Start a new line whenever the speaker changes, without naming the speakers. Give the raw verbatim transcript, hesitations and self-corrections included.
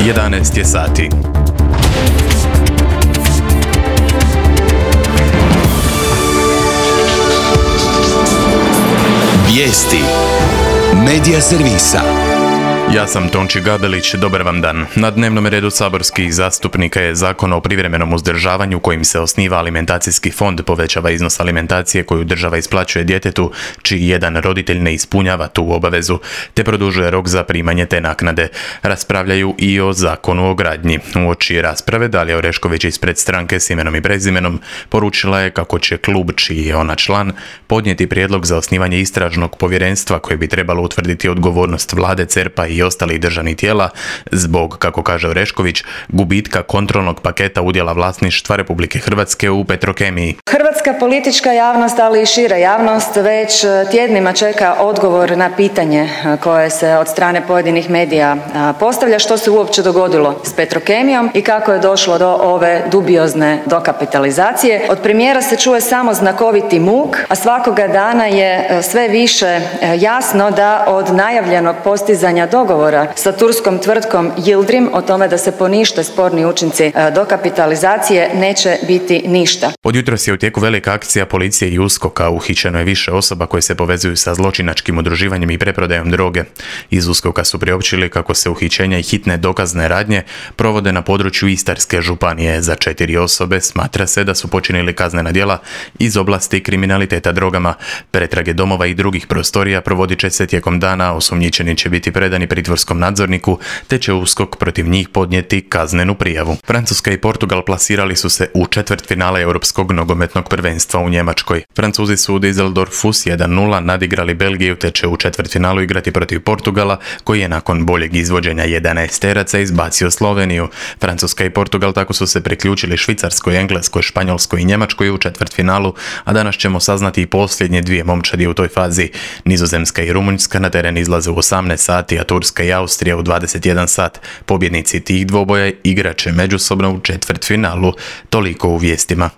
jedanaest je sati.
Vijesti Medija servisa.
Ja sam Tonči Gabelić, dobar vam dan. Na dnevnom redu saborskih zastupnika je Zakon o privremenom uzdržavanju kojim se osniva alimentacijski fond, povećava iznos alimentacije koju država isplaćuje djetetu čiji jedan roditelj ne ispunjava tu obavezu, te produžuje rok za primanje te naknade. Raspravljaju i o Zakonu o gradnji. Uoči rasprave Dalija Orešković ispred stranke s imenom i prezimenom poručila je kako će klub, čiji je ona član, podnijeti prijedlog za osnivanje istražnog povjerenstva koje bi trebalo utvrditi odgovornost vlade, cerpa i ostalih državnih tijela zbog, kako kaže Orešković, gubitka kontrolnog paketa udjela vlasništva Republike Hrvatske u Petrokemiji.
Hrvatska politička javnost, ali i šira javnost već tjednima čeka odgovor na pitanje koje se od strane pojedinih medija postavlja, što se uopće dogodilo s Petrokemijom i kako je došlo do ove dubiozne dokapitalizacije. Od premijera se čuje samo znakoviti muk, a svakoga dana je sve više jasno da od najavljenog postizanja dogovora sa turskom tvrtkom Yildirim o tome da se ponište sporni učinci dokapitalizacije neće biti ništa.
Od jutros je u tijeku velika akcija policije i uskoka. Uhićeno je više osoba koje se povezuju sa zločinačkim udruživanjem i preprodajom droge. Iz uskoka su priopćili kako se uhićenja i hitne dokazne radnje provode na području Istarske županije. Za četiri osobe smatra se da su počinili kaznena djela iz oblasti kriminaliteta drogama. Pretrage domova i drugih prostorija provodit će se tijekom dana, osumnjičeni će biti predani pritvorskom nadzorniku, te će uskok protiv njih podnijeti kaznenu prijavu. Francuska i Portugal plasirali su se u četvrtfinale Europskog nogometnog prvenstva u Njemačkoj. Francuzi su u Düsseldorfu s jedan nula nadigrali Belgiju, te će u četvrtfinalu igrati protiv Portugala, koji je nakon boljeg izvođenja jedanaesteraca izbacio Sloveniju. Francuska i Portugal tako su se priključili Švicarskoj, Engleskoj, Španjolskoj i Njemačkoj u četvrtfinalu, a danas ćemo saznati i posljednje dvije momčadi u toj fazi. Nizozemska i Rumunjska na teren izlaze u osamnaest sati, a Turska i Austrija u dvadeset jedan sat. Pobjednici tih dvoboja igraće međusobno u četvrtfinalu. Toliko u vijestima.